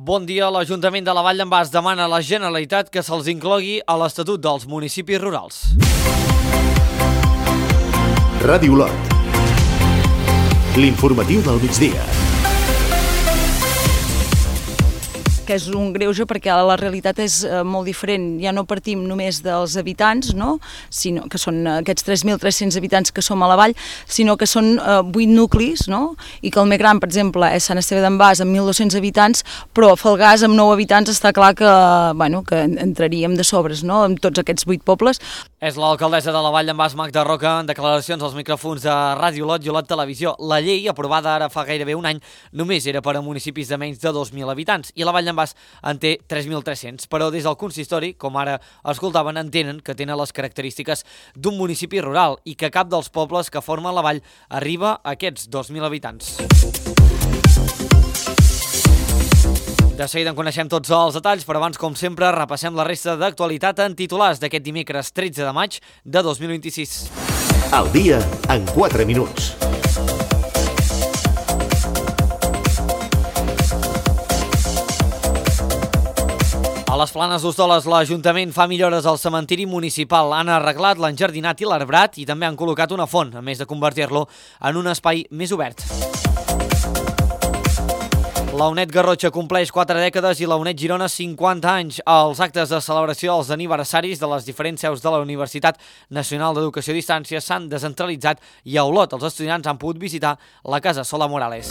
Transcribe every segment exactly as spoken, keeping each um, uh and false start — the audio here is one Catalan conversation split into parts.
Bon dia. L'Ajuntament de la Vall d'en Bas demana a la Generalitat que se'ls inclogui a l'Estatut dels Municipis Rurals. Ràdio Olot. L'informatiu del migdia. Que és un greuge perquè la realitat és eh, molt diferent. Ja no partim només dels habitants, no? Sinó que són aquests tres mil tres-cents habitants que som a la vall, sinó que són eh, vuit nuclis, no? I que el més gran, per exemple, és Sant Esteve d'en Bas amb mil dos-cents habitants, però Falgars amb nou habitants està clar que, bueno, que entraríem de sobres, no? Amb tots aquests vuit pobles. És l'alcaldessa de la Vall d'en Bas, Magda Roca, en declaracions als micròfons de Ràdio Olot i Olot Televisió. La llei, aprovada ara fa gairebé un any, només era per a municipis de menys de dos mil habitants i la Vall d'en Bas en té tres mil tres-cents, però des del consistori, com ara escoltaven, entenen que tenen les característiques d'un municipi rural i que cap dels pobles que formen la vall arriba a aquests dos mil habitants. De seguida en coneixem tots els detalls, però abans, com sempre, repassem la resta d'actualitat en titulars d'aquest dimecres tretze de maig de dos mil vint-i-sis. El dia en quatre minuts. A les Planes d'Hostoles, l'Ajuntament fa millores al cementiri municipal. Han arreglat l'enjardinat i l'arbrat i també han col·locat una font, a més de convertir-lo en un espai més obert. La UNED Garrotxa compleix quatre dècades i la UNED Girona cinquanta anys. Els actes de celebració dels aniversaris de les diferents seus de la Universitat Nacional d'Educació a Distància s'han descentralitzat i a Olot els estudiants han pogut visitar la Casa Sola Morales.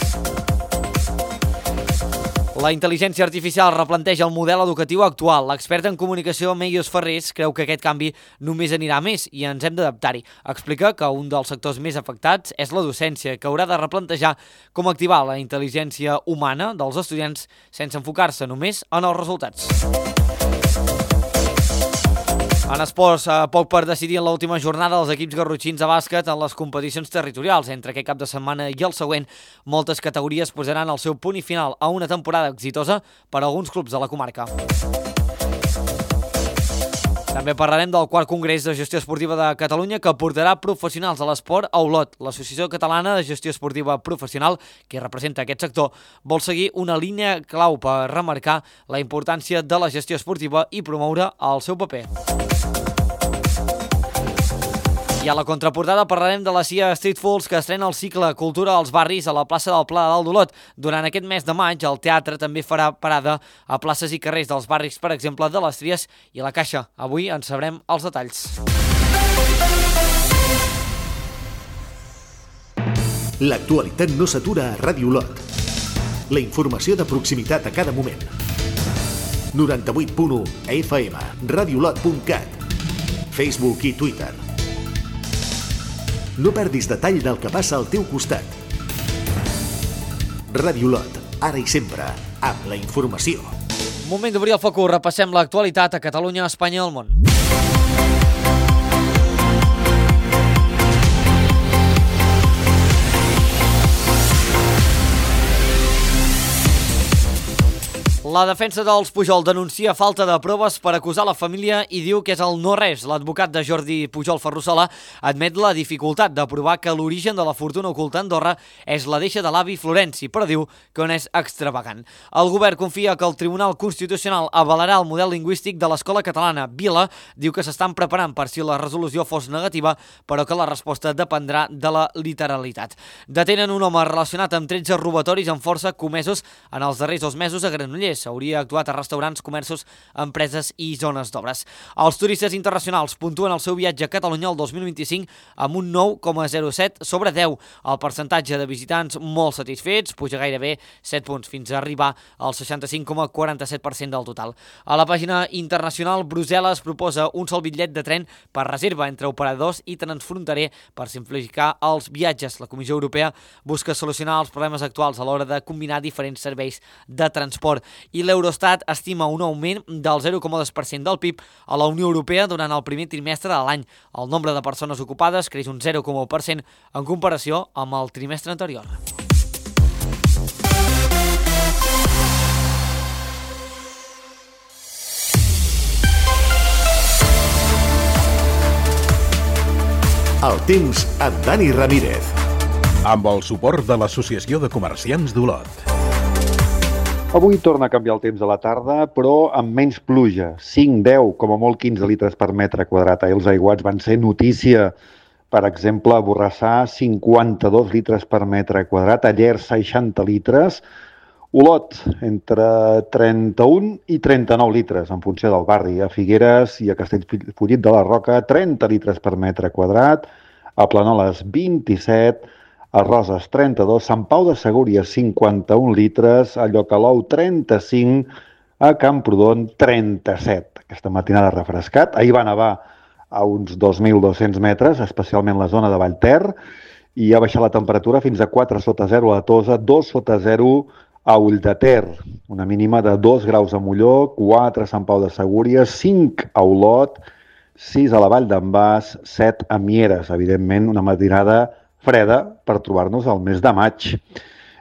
La intel·ligència artificial replanteja el model educatiu actual. L'expert en comunicació Meios Ferrés creu que aquest canvi només anirà a més i ens hem d'adaptar-hi. Explica que un dels sectors més afectats és la docència, que haurà de replantejar com activar la intel·ligència humana dels estudiants sense enfocar-se només en els resultats. En esports, poc per decidir en l'última jornada els equips garrotxins de bàsquet en les competicions territorials. Entre aquest cap de setmana i el següent, moltes categories posaran el seu punt i final a una temporada exitosa per a alguns clubs de la comarca. També parlarem del quart Congrés de Gestió Esportiva de Catalunya que portarà professionals de l'esport a Olot. L'Associació Catalana de Gestió Esportiva Professional, que representa aquest sector, vol seguir una línia clau per remarcar la importància de la gestió esportiva i promoure el seu paper. I a la contraportada parlarem de la C I A Street Fools, que estrena el cicle Cultura als barris a la plaça del Pla de Dalt d'Olot. Durant aquest mes de maig, el teatre també farà parada a places i carrers dels barris, per exemple, de les Tries i la Caixa. Avui en sabrem els detalls. L'actualitat no s'atura a Ràdio Olot. La informació de proximitat a cada moment. noranta-vuit punt u F M, radiolot punt cat, Facebook i Twitter. No perdis detall del que passa al teu costat. Ràdio Olot, ara i sempre, amb la informació. Moment d'obrir el focus, repassem l'actualitat a Catalunya, Espanya i el món. La defensa dels Pujol denuncia falta de proves per acusar la família i diu que és el no-res. L'advocat de Jordi Pujol Ferrusola admet la dificultat de provar que l'origen de la fortuna oculta a Andorra és la deixa de l'avi Florenci, però diu que no és extravagant. El govern confia que el Tribunal Constitucional avalarà el model lingüístic de l'escola catalana. Vila diu que s'estan preparant per si la resolució fos negativa, però que la resposta dependrà de la literalitat. Detenen un home relacionat amb tretze robatoris amb força comesos en els darrers dos mesos a Granollers. S'hauria actuat a restaurants, comerços, empreses i zones d'obres. Els turistes internacionals puntuen el seu viatge a Catalunya el dos mil vint-i-cinc amb un nou coma zero set sobre deu. El percentatge de visitants molt satisfets puja gairebé set punts fins a arribar al seixanta-cinc coma quaranta-set per cent del total. A la pàgina internacional, Brussel·les proposa un sol bitllet de tren per reserva entre operadors i transfronterer per simplificar els viatges. La Comissió Europea busca solucionar els problemes actuals a l'hora de combinar diferents serveis de transport. I l'Eurostat estima un augment del zero coma dos per cent del P I B a la Unió Europea durant el primer trimestre de l'any. El nombre de persones ocupades creix un zero coma u per cent en comparació amb el trimestre anterior. El temps amb Dani Ramírez. Amb el suport de l'Associació de Comerciants d'Olot. Avui torna a canviar el temps a la tarda, però amb menys pluja, cinc, deu, com a molt quinze litres per metre quadrat. Ahir els aiguats van ser notícia. Per exemple, a Borrassà, cinquanta-dos litres per metre quadrat, a Llers, seixanta litres, Olot, entre trenta-un i trenta-nou litres, en funció del barri. A Figueres i a Castellfollit de la Roca, trenta litres per metre quadrat, a Planoles, vint-i-set, a Roses, trenta-dos, Sant Pau de Segúries, cinquanta-un litres, a Llocalou, trenta-cinc, a Camprodon, trenta-set. Aquesta matinada refrescat. Ahir va nevar a uns dos mil dos-cents metres, especialment la zona de Vallter, i ha baixat la temperatura fins a quatre sota zero a Tosa, dos sota zero a Ulldeter, una mínima de dos graus a Molló, quatre a Sant Pau de Segúries, cinc a Olot, sis a la Vall d'en Bas, set a Mieres. Evidentment, una matinada freda per trobar-nos al mes de maig.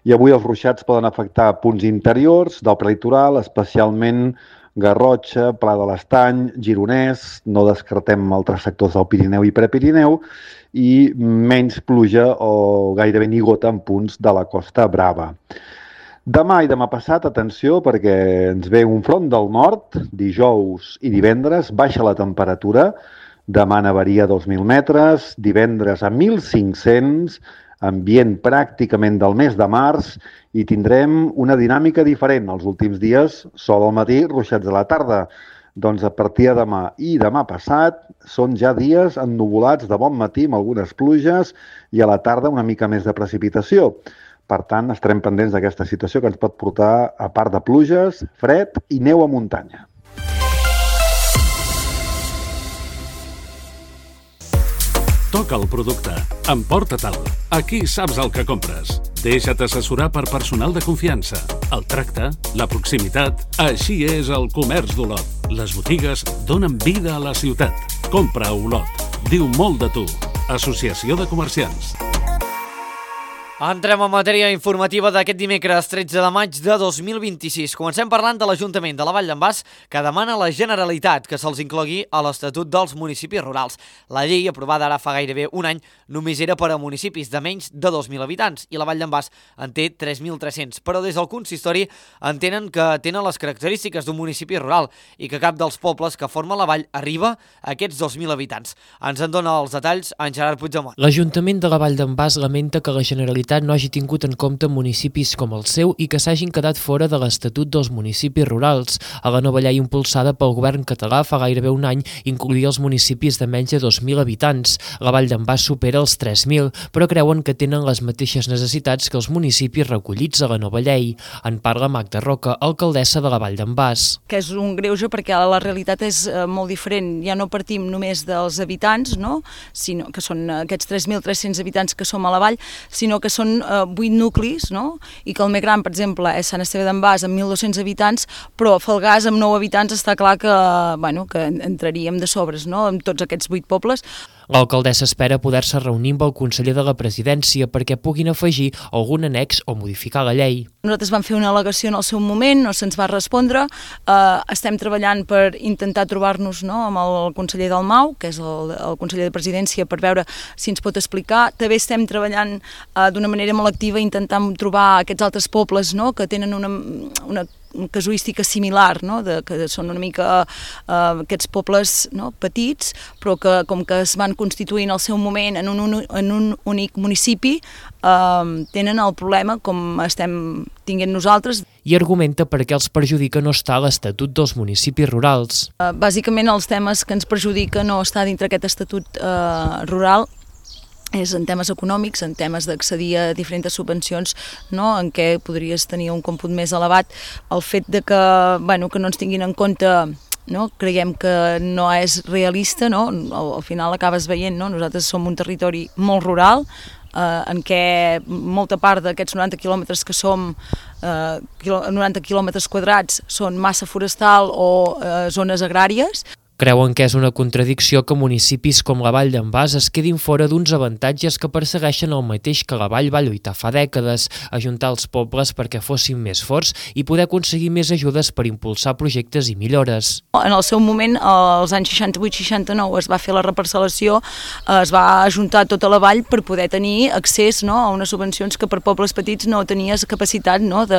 I avui els ruixats poden afectar punts interiors del prelitoral, especialment Garrotxa, Pla de l'Estany, Gironès, no descartem altres sectors del Pirineu i Prepirineu, i menys pluja o gairebé ni gota en punts de la Costa Brava. Demà i demà passat, atenció, perquè ens ve un front del nord, dijous i divendres, baixa la temperatura, demà nevaria a dos mil metres, divendres a mil cinc-cents, ambient pràcticament del mes de març, i tindrem una dinàmica diferent. Els últims dies, sol al matí, ruixats a la tarda. Doncs a partir de demà i demà passat són ja dies ennuvolats de bon matí amb algunes pluges i a la tarda una mica més de precipitació. Per tant, estarem pendents d'aquesta situació que ens pot portar, a part de pluges, fred i neu a muntanya. Toca el producte. Emporta-te'l. Aquí saps el que compres. Deixa't assessorar per personal de confiança. El tracte, la proximitat... Així és el comerç d'Olot. Les botigues donen vida a la ciutat. Compra a Olot. Diu molt de tu. Associació de Comerciants. Entrem en matèria informativa d'aquest dimecres tretze de maig de dos mil vint-i-sis. Comencem parlant de l'Ajuntament de la Vall d'en Bas, que demana a la Generalitat que se'ls inclogui a l'Estatut dels Municipis Rurals. La llei, aprovada ara fa gairebé un any, només era per a municipis de menys de dos mil habitants, i la Vall d'en Bas en té tres mil tres-cents. Però des del consistori entenen que tenen les característiques d'un municipi rural i que cap dels pobles que formen la vall arriba a aquests dos mil habitants. Ens en dona els detalls en Gerard Puigdemont. L'Ajuntament de la Vall d'en Bas lamenta que la Generalitat no hagi tingut en compte municipis com el seu i que s'hagin quedat fora de l'Estatut dels Municipis Rurals. A la nova llei impulsada pel govern català fa gairebé un any incloïa els municipis de menys de dos mil habitants. La Vall d'en Bas supera els tres mil, però creuen que tenen les mateixes necessitats que els municipis recollits a la nova llei. En parla Magda Roca, alcaldessa de la Vall d'en Bas. Que és un greuge perquè la realitat és molt diferent. Ja no partim només dels habitants, no? Sinó que són aquests tres mil tres-cents habitants que som a la vall, sinó que són vuit nuclis, no? I que el més gran, per exemple, és Sant Esteve d'en Bas amb mil dos-cents habitants, però a Falgars amb nou habitants està clar que, bueno, que entraríem de sobres, no?, amb tots aquests vuit pobles. L'alcaldessa espera poder-se reunir amb el conseller de la presidència perquè puguin afegir algun annex o modificar la llei. Nosaltres vam fer una al·legació en el seu moment, no se'ns va respondre, eh, estem treballant per intentar trobar-nos, no?, amb el conseller del M A U, que és el, el conseller de presidència, per veure si ens pot explicar. També estem treballant eh, d'una manera molt activa intentant trobar aquests altres pobles, no?, que tenen una, una casuística similar, no?, de, que són una mica uh, aquests pobles, no?, petits, però que com que es van constituir en el seu moment en un, un, en un únic municipi, uh, tenen el problema com estem tinguent nosaltres. I argumenta per què els perjudica no estar a l'Estatut dels Municipis Rurals. Uh, bàsicament els temes que ens perjudica no estar dintre aquest Estatut uh, rural és en temes econòmics, en temes d'accedir a diferents subvencions, no?, en què podries tenir un còmput més elevat. El fet de que, bueno, que no ens tinguin en compte, no?, creiem que no és realista, no?, al, al final acabes veient, no?, nosaltres som un territori molt rural, eh, en què molta part d'aquests noranta quilòmetres que som, eh, noranta quilòmetres quadrats, són massa forestal o eh, zones agràries. Creuen que és una contradicció que municipis com la Vall d'en Bas es quedin fora d'uns avantatges que persegueixen el mateix que la Vall va lluitar fa dècades, ajuntar els pobles perquè fossin més forts i poder aconseguir més ajudes per impulsar projectes i millores. En el seu moment, als anys seixanta-vuit seixanta-nou, es va fer la reparcel·lació, es va ajuntar tota la vall per poder tenir accés, no, a unes subvencions que per pobles petits no tenies capacitat, no, de,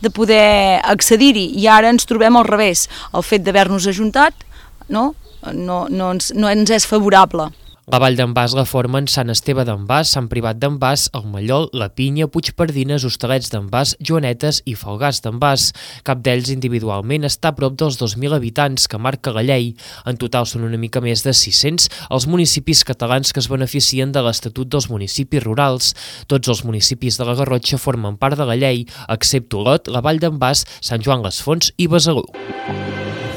de poder accedir-hi. I ara ens trobem al revés. El fet d'haver-nos ajuntat no, no, no, ens, no ens és favorable. La Vall d'en Bas la formen Sant Esteve d'en Bas, Sant Privat d'en Bas, el Mallol, la Pinya, Puigpardines, Hostalets d'en Bas, Joanetes i Falgars d'en Bas. Cap d'ells individualment està a prop dels dos mil habitants que marca la llei. En total són una mica més de sis-cents els municipis catalans que es beneficien de l'Estatut dels Municipis Rurals. Tots els municipis de la Garrotxa formen part de la llei, excepte Olot, la Vall d'en Bas, Sant Joan les Fonts i Besalú.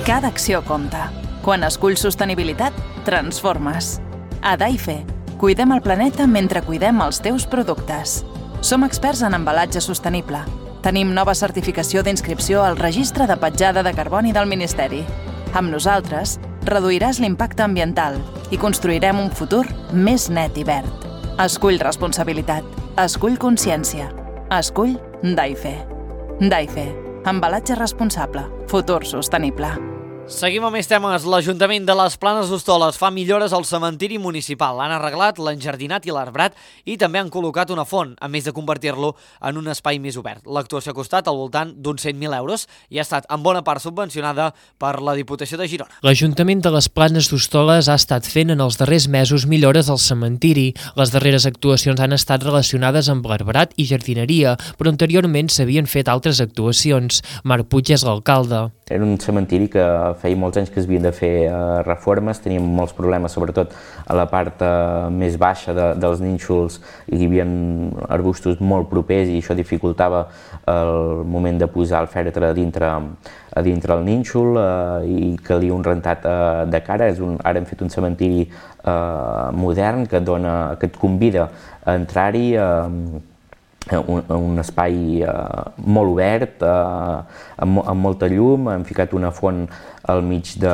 Cada acció compta. Quan esculls sostenibilitat, transformes. A Daife, cuidem el planeta mentre cuidem els teus productes. Som experts en embalatge sostenible. Tenim nova certificació d'inscripció al Registre de Petjada de Carboni del Ministeri. Amb nosaltres, reduiràs l'impacte ambiental i construirem un futur més net i verd. Escull responsabilitat. Escull consciència. Escull Daife. Daife. Embalatge responsable. Futur sostenible. Seguim amb més temes. L'Ajuntament de les Planes d'Hostoles fa millores al cementiri municipal. L'han arreglat, l'enjardinat i l'arbrat i també han col·locat una font, a més de convertir-lo en un espai més obert. L'actuació ha costat al voltant d'uns cent mil euros i ha estat en bona part subvencionada per la Diputació de Girona. L'Ajuntament de les Planes d'Hostoles ha estat fent en els darrers mesos millores al cementiri. Les darreres actuacions han estat relacionades amb l'arbrat i jardineria, però anteriorment s'havien fet altres actuacions. Marc Puig és l'alcalde. Era un cementiri que feia molts anys que es havien de fer eh, reformes, teníem molts problemes, sobretot a la part eh, més baixa de, dels nínxols, hi havia arbustos molt propers i això dificultava el moment de posar el fèretre a dintre, a dintre el nínxol eh, i calia un rentat eh, de cara. És un, ara hem fet un cementiri eh, modern que, dona, que et convida a entrar-hi eh, Un, un espai eh, molt obert, eh, amb, amb molta llum. Hem ficat una font al mig de,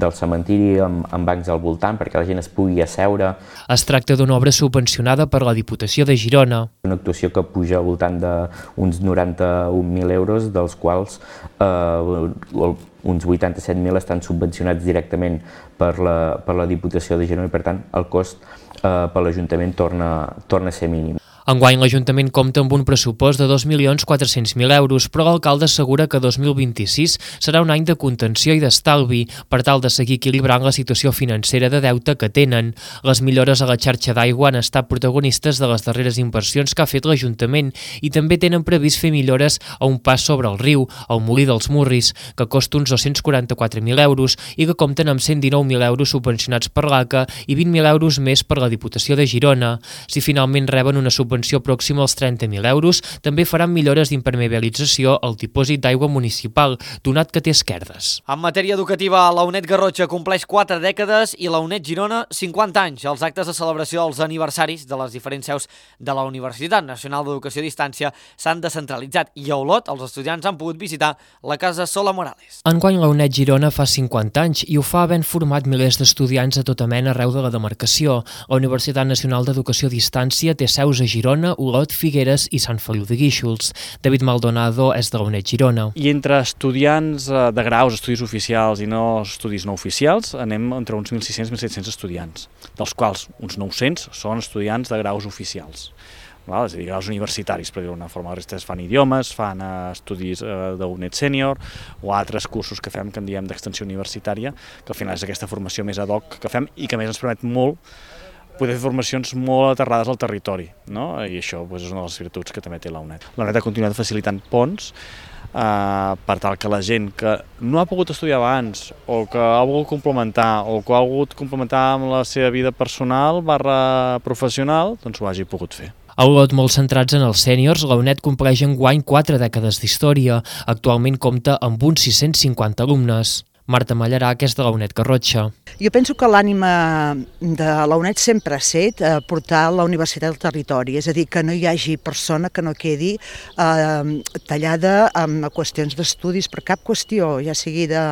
del cementiri amb, amb bancs al voltant perquè la gent es pugui asseure. Es tracta d'una obra subvencionada per la Diputació de Girona. Una actuació que puja al voltant d'uns noranta-un mil euros, dels quals eh, uns vuitanta-set mil estan subvencionats directament per la, per la Diputació de Girona i, per tant, el cost eh, per l'Ajuntament torna, torna a ser mínim. Enguany l'Ajuntament compta amb un pressupost de dos milions quatre-cents mil euros, però l'alcalde assegura que dos mil vint-i-sis serà un any de contenció i d'estalvi per tal de seguir equilibrant la situació financera de deute que tenen. Les millores a la xarxa d'aigua han estat protagonistes de les darreres inversions que ha fet l'Ajuntament i també tenen previst fer millores a un pas sobre el riu, el Molí dels Murris, que costa uns dos-cents quaranta-quatre mil euros i que compten amb cent dinou mil euros subvencionats per l'A C A i vint mil euros més per la Diputació de Girona. Si finalment reben una subvenció pròxima als trenta mil euros, també faran millores d'impermeabilització al dipòsit d'aigua municipal, donat que té esquerdes. En matèria educativa, la UNED Garrotxa compleix quatre dècades i la UNED Girona cinquanta anys. Els actes de celebració dels aniversaris de les diferents seus de la Universitat Nacional d'Educació a Distància s'han descentralitzat i a Olot els estudiants han pogut visitar la Casa Sola Morales. Enguany la UNED Girona fa cinquanta anys i ho fa havent format milers d'estudiants a tota mena arreu de la demarcació. La Universitat Nacional d'Educació a Distància té seus a Girona, Olot, Figueres i Sant Feliu de Guíxols. David Maldonado és de la UNED Girona. I entre estudiants de graus, estudis oficials i no estudis no oficials, anem entre uns mil sis-cents i mil set-cents estudiants, dels quals uns nou-cents són estudiants de graus oficials. Val? És a dir, graus universitaris, per dir-ho d'una forma. La resta fan idiomes, fan uh, estudis uh, de UNED Sènior o altres cursos que fem, que en diem d'extensió universitària, que al final és aquesta formació més ad hoc que fem i que a més ens permet molt poder fer formacions molt aterrades al territori, no? I això doncs, és una de les virtuts que també té la UNED. La UNED ha continuat facilitant ponts eh, per tal que la gent que no ha pogut estudiar abans o que ha volgut complementar o que ha volgut complementar amb la seva vida personal barra professional, doncs ho hagi pogut fer. A Olot, molt centrats en els sèniors, la UNED compleix enguany quatre dècades d'història. Actualment compta amb uns sis-cents cinquanta alumnes. Marta Mallarà, que és de la UNED Garrotxa. Jo penso que l'ànima de la UNED sempre ha set eh, portar la universitat al territori, és a dir, que no hi hagi persona que no quedi eh, tallada amb qüestions d'estudis per cap qüestió, ja sigui de,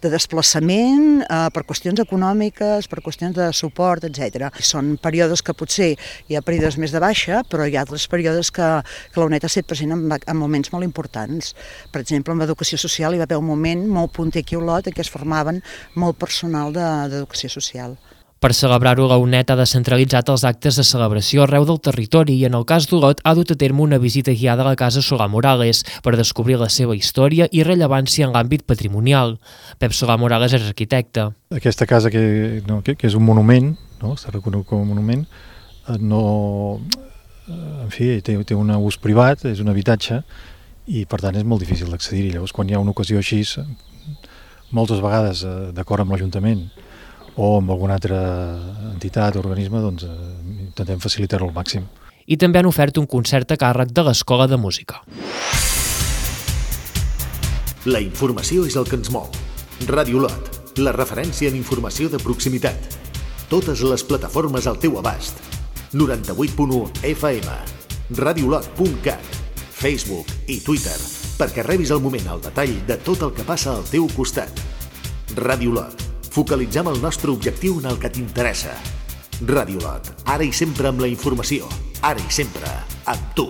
de desplaçament, eh, per qüestions econòmiques, per qüestions de suport, etcètera. Són períodes que potser hi ha períodes més de baixa, però hi ha altres períodes que, que la UNED ha estat present en, en moments molt importants. Per exemple, en educació social hi va haver un moment molt punter aquí a Olot en què es formaven molt personal de, d'educació social. Per celebrar-ho, la UNED ha descentralitzat els actes de celebració arreu del territori i, en el cas d'Olot, ha dut a terme una visita guiada a la Casa Solà Morales per descobrir la seva història i rellevància en l'àmbit patrimonial. Pep Solà Morales és arquitecte. Aquesta casa, que, no, que, que és un monument, no? Està reconegut com a monument, no, en fi, té, té un ús privat, és un habitatge, i per tant és molt difícil d'accedir-hi. Llavors, quan hi ha una ocasió així, moltes vegades d'acord amb l'Ajuntament o amb alguna altra entitat o organisme, doncs intentem facilitar-ho al màxim. I també han ofert un concert a càrrec de l'Escola de Música. La informació és el que ens mou. Ràdio Olot, la referència en informació de proximitat. Totes les plataformes al teu abast. noranta-vuit punt u F M, radiolot punt cat, Facebook i Twitter, perquè rebis al moment el detall de tot el que passa al teu costat. Ràdio Olot, focalitzem el nostre objectiu en el que t'interessa. Ràdio Olot, ara i sempre amb la informació, ara i sempre amb tu.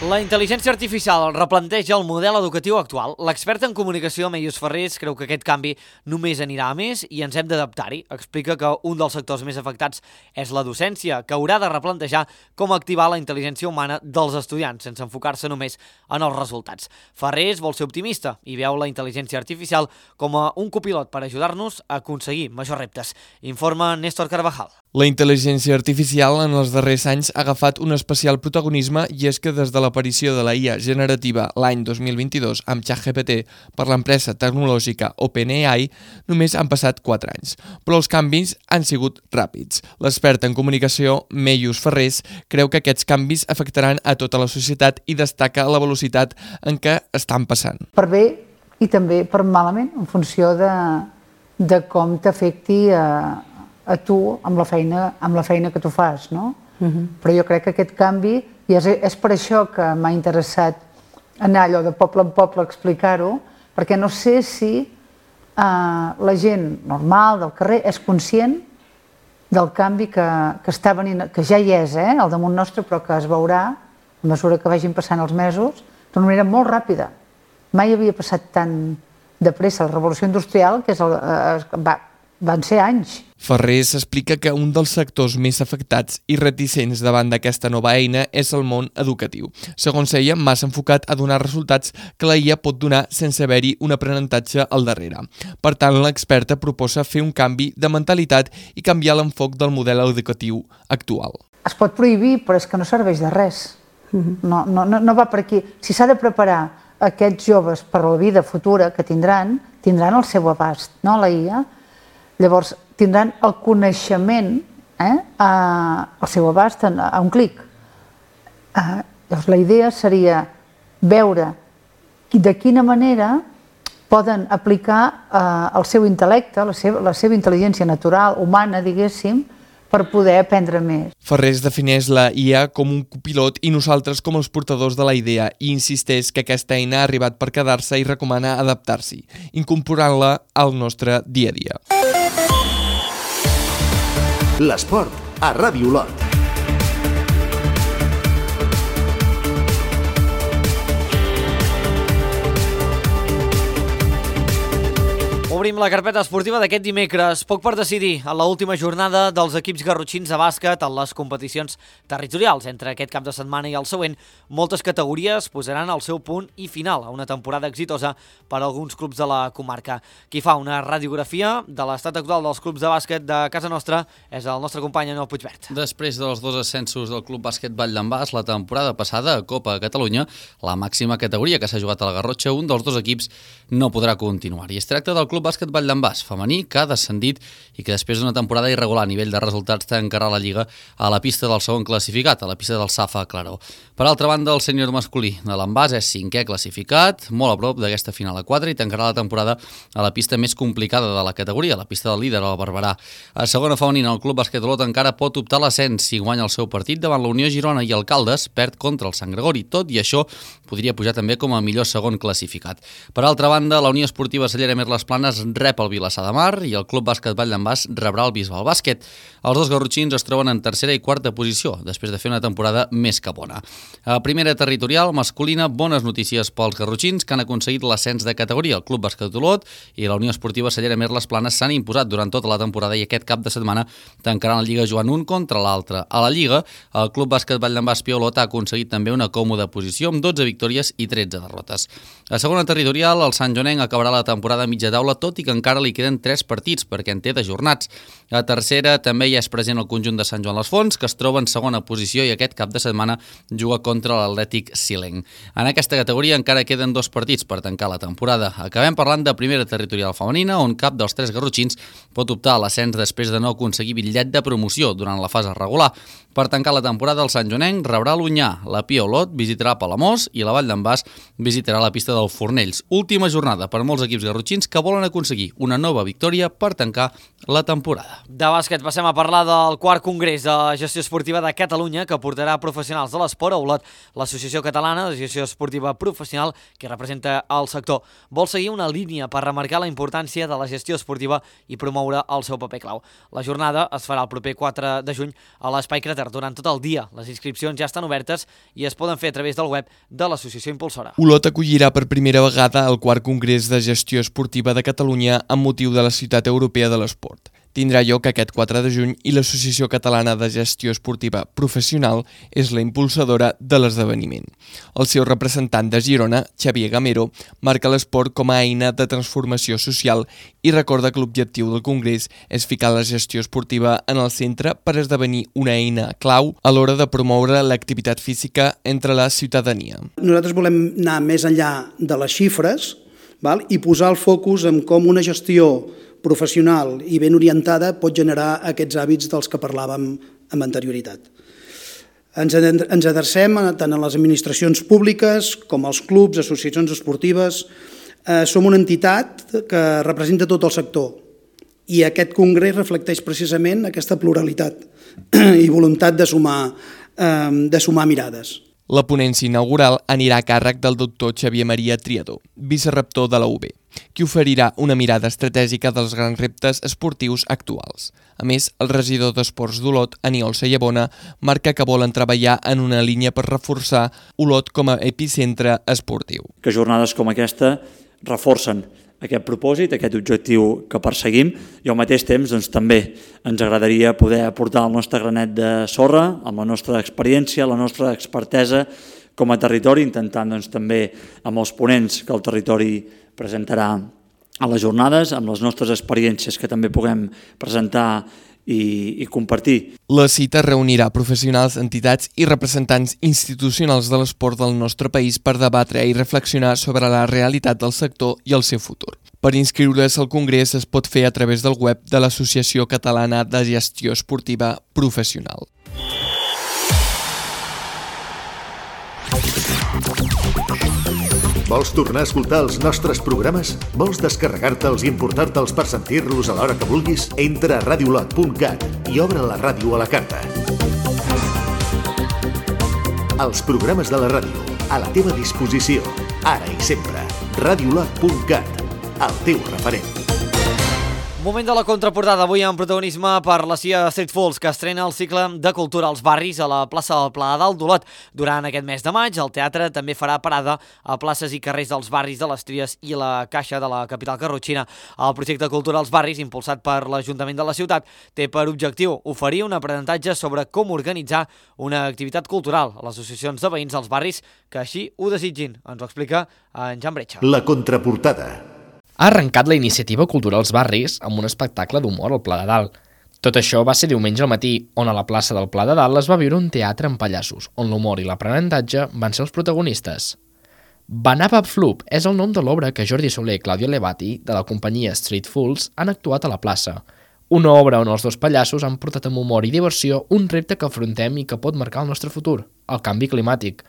La intel·ligència artificial replanteja el model educatiu actual. L'expert en comunicació, Meius Ferrés, creu que aquest canvi només anirà a més i ens hem d'adaptar-hi. Explica que un dels sectors més afectats és la docència, que haurà de replantejar com activar la intel·ligència humana dels estudiants, sense enfocar-se només en els resultats. Ferrés vol ser optimista i veu la intel·ligència artificial com a un copilot per ajudar-nos a aconseguir majors reptes. Informa Néstor Carvajal. La intel·ligència artificial en els darrers anys ha agafat un especial protagonisme i és que des de l'aparició de la I A generativa l'any dos mil vint-i-dos amb ChatGPT per l'empresa tecnològica OpenAI només han passat quatre anys, però els canvis han sigut ràpids. L'expert en comunicació, Meius Ferrés, creu que aquests canvis afectaran a tota la societat i destaca la velocitat en què estan passant. Per bé i també per malament, en funció de, de com t'afecti a a tu amb la feina, amb la feina que tu fas, no? Uh-huh. Però jo crec que aquest canvi, i és, és per això que m'ha interessat anar allò de poble en poble a explicar-ho, perquè no sé si eh, la gent normal del carrer és conscient del canvi que, que està venint, que ja hi és, eh, al damunt nostre, però que es veurà a mesura que vagin passant els mesos, d'una manera molt ràpida. Mai havia passat tan de pressa la revolució industrial, que és el, eh, va, van ser anys. Ferrés explica que un dels sectors més afectats i reticents davant d'aquesta nova eina és el món educatiu. Segons ella, massa enfocat a donar resultats que la I A pot donar sense haver-hi un aprenentatge al darrere. Per tant, l'experta proposa fer un canvi de mentalitat i canviar l'enfoc del model educatiu actual. Es pot prohibir, però és que no serveix de res. No, no, no, no va per aquí. Si s'ha de preparar aquests joves per la vida futura que tindran, tindran el seu abast, no, la I A. Llavors, tindran el coneixement eh, a, al seu abast a, a un clic. Eh, llavors, la idea seria veure de quina manera poden aplicar eh, el seu intel·lecte, la seva, la seva intel·ligència natural, humana, diguéssim, per poder aprendre més. Ferrés defineix la I A com un copilot i nosaltres com els portadors de la idea i insisteix que aquesta eina ha arribat per quedar-se i recomana adaptar-s'hi, incorporant-la al nostre dia a dia. L'esport a Ràdio Olot. Obrim la carpeta esportiva d'aquest dimecres. Poc per decidir a l'última jornada dels equips garrotxins de bàsquet en les competicions territorials. Entre aquest cap de setmana i el següent, moltes categories posaran el seu punt i final a una temporada exitosa per a alguns clubs de la comarca. Qui fa una radiografia de l'estat actual dels clubs de bàsquet de casa nostra és el nostre company Anel Puigvert. Després dels dos ascensos del Club Bàsquet Vall d'en Bas la temporada passada a Copa Catalunya, la màxima categoria que s'ha jugat a la Garrotxa, un dels dos equips no podrà continuar. I es tracta del Club Bàsquet Bàsquet Vall d'en Bas, femení, que ha descendit i que després d'una temporada irregular a nivell de resultats tancarà la Lliga a la pista del segon classificat, a la pista del Safa Claró. Per altra banda, el sènior masculí de l'Envàs és cinquè classificat, molt a prop d'aquesta final a quatre, i tancarà la temporada a la pista més complicada de la categoria, la pista del líder, el Barberà. A segona femenina, el Club Bàsquet Olot encara pot optar a l'ascens si guanya el seu partit davant la Unió Girona i el Caldes perd contra el Sant Gregori. Tot i això, podria pujar també com a millor segon classificat. Per altra banda, la Unió Esportiva Cellera Mer Les Planes rep el Vilassar de Mar i el Club Bàsquet Vall d'en Bas rebrà el Bisbal Bàsquet. Els dos garrotxins es troben en tercera i quarta posició, després de fer una temporada més que bona. A primera territorial masculina, bones notícies pels garrotxins, que han aconseguit l'ascens de categoria. El Club Bàsquet Olot i la Unió Esportiva Cellera Mer Les Planes s'han imposat durant tota la temporada i aquest cap de setmana tancaran la Lliga jugant un contra l'altre. A la Lliga, el Club Bàsquet Vall d'en Bas Piolot ha aconseguit també una còmoda posició amb dotze victòries i tretze derrotes. A segona territorial, el Sant Joanenc acabarà la temporada a mitja taula, tot i que encara li queden tres partits, perquè en té de jornats. A tercera també ja és present el conjunt de Sant Joan les Fonts, que es troba en segona posició i aquest cap de setmana juga contra l'Atlètic Silenc. En aquesta categoria encara queden dos partits per tancar la temporada. Acabem parlant de primera territorial femenina, on cap dels tres garrotxins pot optar a l'ascens després de no aconseguir bitllet de promoció durant la fase regular. Per tancar la temporada, el Sant Joanenc rebrà l'Onyà, la Pia Olot visitarà Palamós i la Vall d'en Bas visitarà la pista del Fornells. Última jornada per molts equips garrotxins que volen aconseguir una nova victòria per tancar la temporada. De bàsquet passem a parlar del quart congrés de gestió esportiva de Catalunya, que portarà professionals de l'esport a Olot. L'Associació Catalana de Gestió Esportiva Professional, que representa el sector, vol seguir una línia per remarcar la importància de la gestió esportiva i promoure el seu paper clau. La jornada es farà el proper quatre de juny a l'Espai Crater durant tot el dia. Les inscripcions ja estan obertes i es poden fer a través del web de l'associació impulsora. Olot acollirà per primera vegada el quart congrés de gestió esportiva de Catalunya amb motiu de la Ciutat Europea de l'Esport. Tindrà lloc aquest quatre de juny i l'Associació Catalana de Gestió Esportiva Professional és la impulsadora de l'esdeveniment. El seu representant de Girona, Xavier Gamero, marca l'esport com a eina de transformació social i recorda que l'objectiu del congrés és ficar la gestió esportiva en el centre per esdevenir una eina clau a l'hora de promoure l'activitat física entre la ciutadania. Nosaltres volem anar més enllà de les xifres, val? I posar el focus en com una gestió professional i ben orientada pot generar aquests hàbits dels que parlàvem amb anterioritat. Ens adrecem tant a les administracions públiques com als clubs, associacions esportives. Som una entitat que representa tot el sector i aquest congrés reflecteix precisament aquesta pluralitat i voluntat de sumar, de sumar mirades. La ponència inaugural anirà a càrrec del doctor Xavier Maria Triador, vicerrector de la U B, qui oferirà una mirada estratègica dels grans reptes esportius actuals. A més, el regidor d'Esports d'Olot, Aniol Sayabona, marca que volen treballar en una línia per reforçar Olot com a epicentre esportiu. Que jornades com aquesta reforcen aquest propòsit, aquest objectiu que perseguim i al mateix temps doncs, també ens agradaria poder aportar el nostre granet de sorra amb la nostra experiència, la nostra expertesa com a territori, intentant doncs, també amb els ponents que el territori presentarà a les jornades, amb les nostres experiències que també puguem presentar i, i compartir. La cita reunirà professionals, entitats i representants institucionals de l'esport del nostre país per debatre i reflexionar sobre la realitat del sector i el seu futur. Per inscriure's al congrés es pot fer a través del web de l'Associació Catalana de Gestió Esportiva Professional. Vols tornar a escoltar els nostres programes? Vols descarregar-te'ls i importar-te'ls per sentir-los a l'hora que vulguis? Entra a radiolot punt cat i obre la ràdio a la carta. Els programes de la ràdio, a la teva disposició, ara i sempre. radiolot punt cat, el teu referent. Moment de la contraportada, avui amb protagonisme per la C I A Street Fools, que estrena el cicle de cultura als barris a la plaça del Pla de Dalt d'Olot. Durant aquest mes de maig, el teatre també farà parada a places i carrers dels barris de les Tries i la Caixa de la capital garrotxina. El projecte Cultura als barris, impulsat per l'Ajuntament de la ciutat, té per objectiu oferir un aprenentatge sobre com organitzar una activitat cultural a les associacions de veïns dels barris que així ho desitgin. Ens ho explica en Jan Bretxa. La contraportada. Ha arrencat la iniciativa Cultura als barris amb un espectacle d'humor al Pla de Dalt. Tot això va ser diumenge al matí, on a la plaça del Pla de Dalt es va viure un teatre amb pallassos, on l'humor i l'aprenentatge van ser els protagonistes. Banaba Floop és el nom de l'obra que Jordi Soler i Claudio Levati, de la companyia Street Fools, han actuat a la plaça. Una obra on els dos pallassos han portat amb humor i diversió un repte que afrontem i que pot marcar el nostre futur, el canvi climàtic.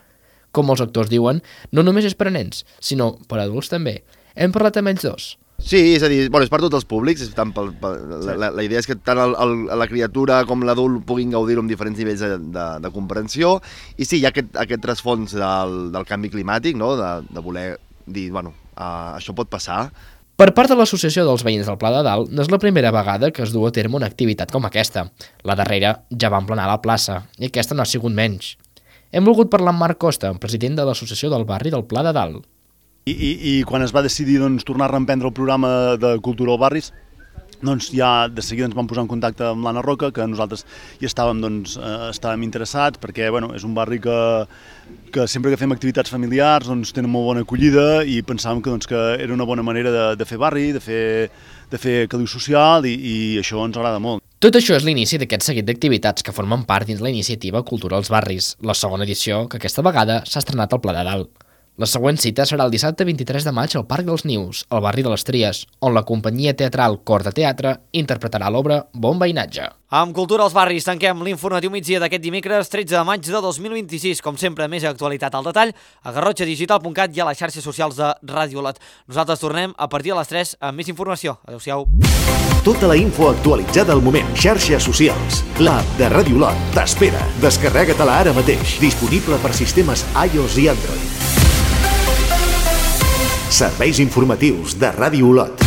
Com els actors diuen, no només és per a nens, sinó per a adults també. Hem parlat amb ells dos. Sí, és a dir, bueno, és per tots els públics, és tant pel, pel, la, la, la idea és que tant el, el, la criatura com l'adult puguin gaudir-ho amb diferents nivells de, de, de comprensió, i sí, hi ha aquest, aquest trasfons del, del canvi climàtic, no? de, de voler dir, bueno, uh, això pot passar. Per part de l'Associació dels Veïns del Pla de Dalt, no és la primera vegada que es du a terme una activitat com aquesta. La darrera ja va emplenar la plaça, i aquesta no ha sigut menys. Hem volgut parlar amb Marc Costa, president de l'Associació del Barri del Pla de Dalt. I, i, i quan es va decidir doncs, tornar a reemprendre el programa de Cultura als Barris, doncs ja de seguida ens vam posar en contacte amb l'Anna Roca, que nosaltres hi estàvem, doncs, eh, estàvem interessats, perquè bueno, és un barri que, que sempre que fem activitats familiars doncs, tenen molt bona acollida i pensàvem que, doncs, que era una bona manera de, de fer barri, de fer, de fer caliu social i, i això ens agrada molt. Tot això és l'inici d'aquest seguit d'activitats que formen part dins la iniciativa Cultura als Barris, la segona edició que aquesta vegada s'ha estrenat al Pla de Dalt. La següent cita serà el dissabte vint-i-tres de maig al Parc dels Nius, al barri de les Tries, on la companyia teatral Cor de Teatre interpretarà l'obra Bon Veïnatge. Amb Cultura als Barris tanquem l'informatiu migdia d'aquest dimecres tretze de maig de dos mil vint-i-sis. Com sempre, més actualitat al detall a garrotxa digital punt cat i a les xarxes socials de Ràdio Olot. Nosaltres tornem a partir de les tres amb més informació. Adéu-siau. Tota la info actualitzada al moment. Xarxes socials. L'app de Ràdio Olot t'espera. Descarrega-te-la ara mateix. Disponible per sistemes iOS i Android. Serveis informatius de Ràdio Olot.